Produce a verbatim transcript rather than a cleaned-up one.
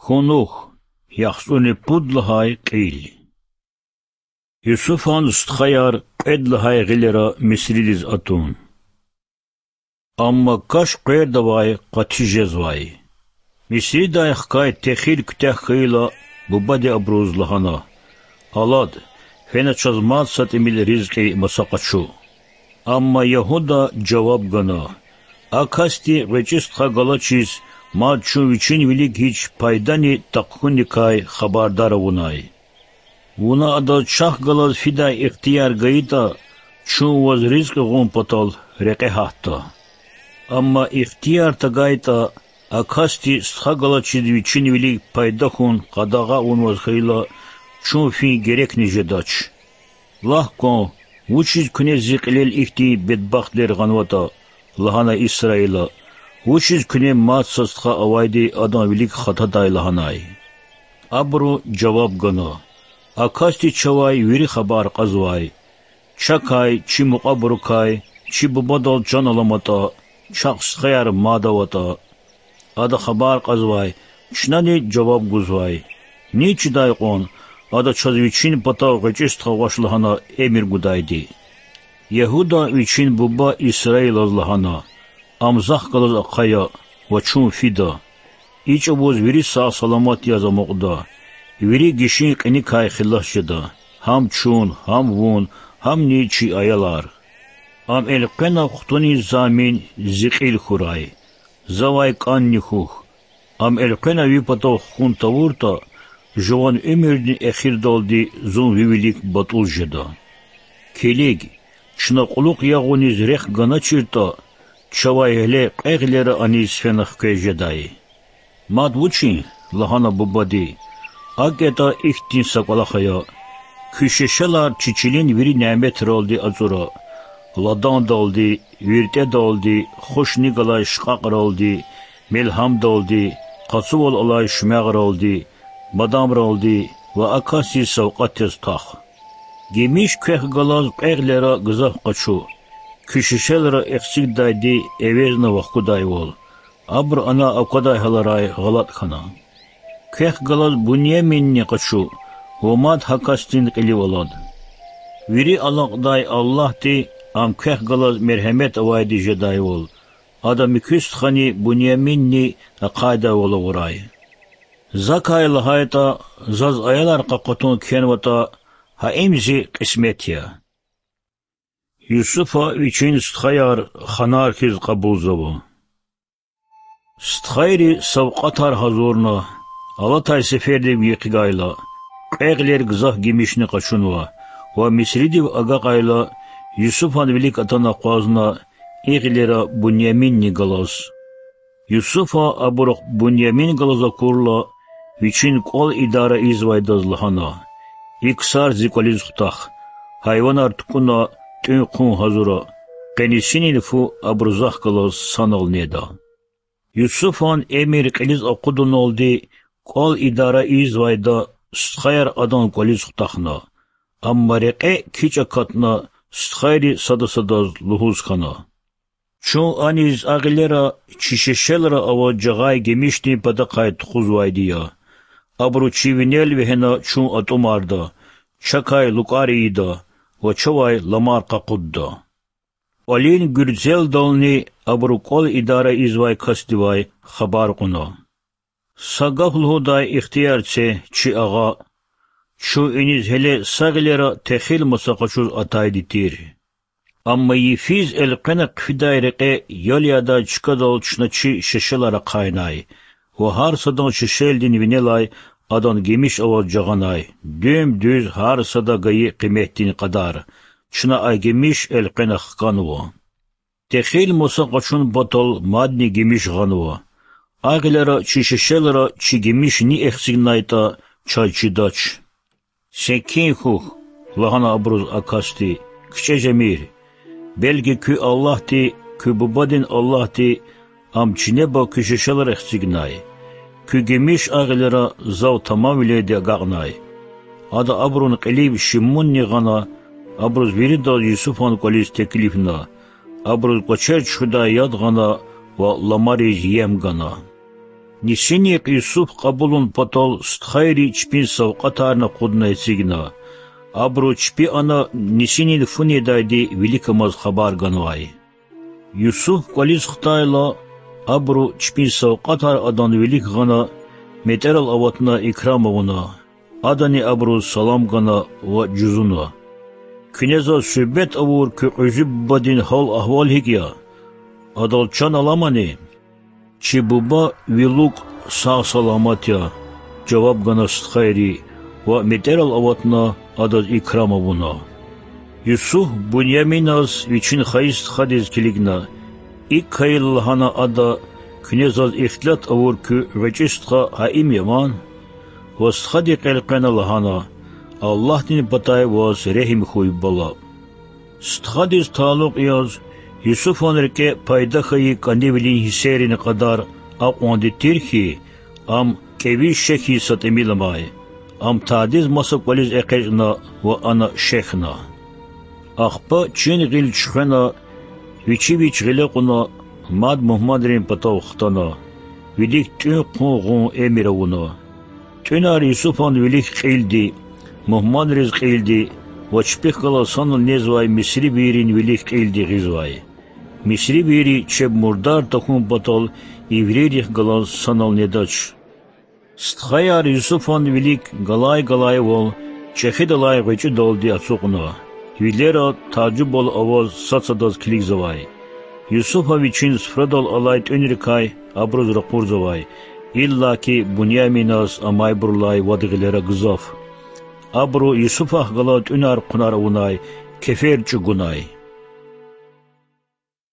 Кунух, яхцӀурни пуд лагьай кьил. Юсуфан стхаяр кьвед лагьай гъилера Мисридиз атун. Амма каш къвердавай къати жезвай. Мисридай хкай техил куьтягь хьайила, бубади абуруз лагьана: Алад, фена чаз мад са тӀимил ризкьи маса къачу. Амма Ягьуда жаваб гана: А касди гъвечӀи стха галачиз мад чун вичин вилик гьич пайдани тахъ хьуникай хабардар авунай. Вуна адаз чахъ галаз фидай ихтияр гайитӀа, чун ваз ризкьи гъун патал рекье гьатда. Амма ихтияр тагайтӀа, а касди стха галачиз вичин вилик пайда хьун къадагъа авунваз хьайила, чун фин герекни жедач. Лагь кван, вучиз куьне зи кьилел ихьтин бедбахтвилер гъанватӀа, лагьана Исраила, вучиз куьне мад са стха авайди адан вилик хатадай лагьанай? Абуру жаваб гана: А касди чавай вири хабар кьазвай. Чакай, чи мукьвабурукай, чи бубадал чан аламатӀа, чахъ стхаяр мад аватӀа. Ада хабар кьазвай, чнани жаваб гузвай: Низ чидай кьван, ада чаз вичин патав гъвечӀи стха гъваш лагьана эмир гудайди. Ягьуда вичин буба Исраилаз лагьана: Ам захъ галаз ахъая ва чун фида. И чӀавуз вири сагъ-саламат яз амукьда, вири гишин кьиникай хилас жеда, гьам чун, гьам вун, гьамни чи аялар. Ам элкъвена хтунин замин зи кьил хьурай, завай кӀанни хьухь. Ам элкъвена ви патав хкун тавуртӀа, жуван уьмуьрдин эхирдалди зун ви вилик батӀуз жеда. Килиг, чна кьулухъ ягъуниз рехъ ганачиртӀа, чавай гьеле кьве гъилера аниз фена хквез жедай. Мад вучин, лагьана бубади, акӀ ятӀа ихьтин са кӀвалах ая: куь шешелар чи чилин вири няметралди ацӀура: ладандалди, виртӀедалди, хушни галай шкьакьралди, мелгьамдалди, къацувал алай шуьмягъралди, бадамралди ва а касдиз савкьват яз твах. Гимиш квехъ галаз кьве гъилера гзаф къачу, куь шешелра эхцигдайди эвезна вахкудайвал, абуру ана аквадай гьаларай гъалатӀ хьана. Квехъ галаз Буньяминни къачу ва мад гьа касдин кьилив алад. Вири алакьдай Аллагьди ам квехъ галаз мергьемет авайди жедайвал, ада муькуь стхани Буньяминни ахъайдайвал авурай. Закай лагьайтӀа, заз аялар къакъатун кхьенватӀа, гьа им зи кьисмет я. Юсуфа вичин стхаяр ханар хьиз кьабулзава. Стхайри савкьватар гьазурна, алатай сефердив гекъигайла, кьве гъилер гзаф гимишни къачунва ва Мисридив агакьайла, Юсуфан вилик атана акъвазна и гъилера Буньяминни галаз. Юсуфа абурухъ Буньямин галаз акурла, вичин кӀвал идара ийизвайдаз лагьана: И ксар зи кӀвализ хутах, гьайванар тукӀуна, тӀуьн-хъун гьазура, къенисинин фу абуру захъ галаз санал неда. Юсуфан эмир кьилиз акъудуналди, кӀвал идара ийизвайда стхаяр адан кӀвализ хутахна. Амма рекье кичӀ акатна, стхайри сада садаз лугьуз хьана: Чун аниз а гъилера чи шешелра аваз жагъай гимишдин патахъай тухузвайди я. Абуру чи винел вегьена чун атӀумарда, чакай лукӀар ийида ва чавай ламар къакъудда. КӀвалин гуьрцелдални абуру кӀвал идара ийизвай касдивай хабар кьуна: Са гаф лугьудай ихтияр це, чи агъа. Чун иниз гьеле са гъилера техил маса къачуз атайди тир. Амма йифиз элкъвена хъфидай рекье ял ядай чкадал чна чи шешелар ахъайнай ва гьар садан шешелдин винелай адан гимиш аваз жагъанай, дуьм-дуьз гьар сада гайи къиметдин кьадар, чна а гимиш элкъвена хканва. Техил маса къачун патал мадни гимиш гъанва. А гъилера чи шешелра чи гимиш ни эхцигнайтӀа, чаз чидач. Секин хьухь, лагьана абуруз а касди, кичӀе жемир. Белки куь Аллагьди, куь бубадин Аллагьди ам чинеба куь шешелра эхцигнай. Куь гимиш а гъилера зав тамамвилелди агакьнай. Ада абурун кьилив шимунни гъана, абуруз виридаз Юсуфан кӀвализ теклифна, абуруз кӀвачер чуьхуьдай яд гъана ва ламариз ем гана. Нисинихъ Юсуф кьабулун патал стхайри чпин савкьватарни акъудна эцигна. Абуру чпи ана нисинин фу недайди виликамаз хабар ганвай. Юсуф кӀвализ хтайла, абуру чпин савкьватар адан вилик гъана, метӀерал аватна икрам авуна. Адани абуруз салам гана ва жузуна: Куьне заз суьгьбет авур куь кьуьзуь бубадин гьал-агьвал гьикӀ я? Адал чан аламани? Чи буба ви лукӀ сагъ-саламат я,— жаваб гана стхайри ва метӀерал аватна адаз икрам авуна. Юсуф Буняминаз вичин хайи стхадиз килигна. ИкӀ хьайила, лагьана ада, куьне заз ихтилат авур куь гъвечӀи стха гьа им я ван? Ва стхади къекъвена лагьана: Аллагьдин патай ваз регьим хьуй, бала. Стхадиз талукь яз, Юсуфан рикӀе пайда хьайи кӀанивилин гьиссерин кьадар акьванди тир хьи, ам кӀеви шехьиз са тӀимил амай. Ам тадиз маса кӀвализ экъечӀна ва ана шехьна. Ахпа чин гъил чуьхвена, вичи вич гъиле кьуна, мад мугьманрин патав хтана. Вилик тӀуьн-хъун гъун эмир авуна. ТӀуьнар Юсуфан вилик кьилди, мугьманриз кьилди ва чпихъ галаз санал незвай мисривийрин вилик кьилди гъизвай. Мисривийри чеб мурдар тахьун патал иврийрихъ галаз санал недач. Стхаяр Юсуфан вилик галай-галайвал чӀехидалай гъвечӀидалди ацукьна. Вилера тажубал аваз сад-садаз килигзавай. Юсуфа вичин суфрадал алай тӀуьнрикай абуруз ракъурзавай, иллаки Буняминаз амайбурулай вад гъилера гзаф. Абуру Юсуфахъ галаз тӀуьнар-хъунар авунай, кефер чӀугунай.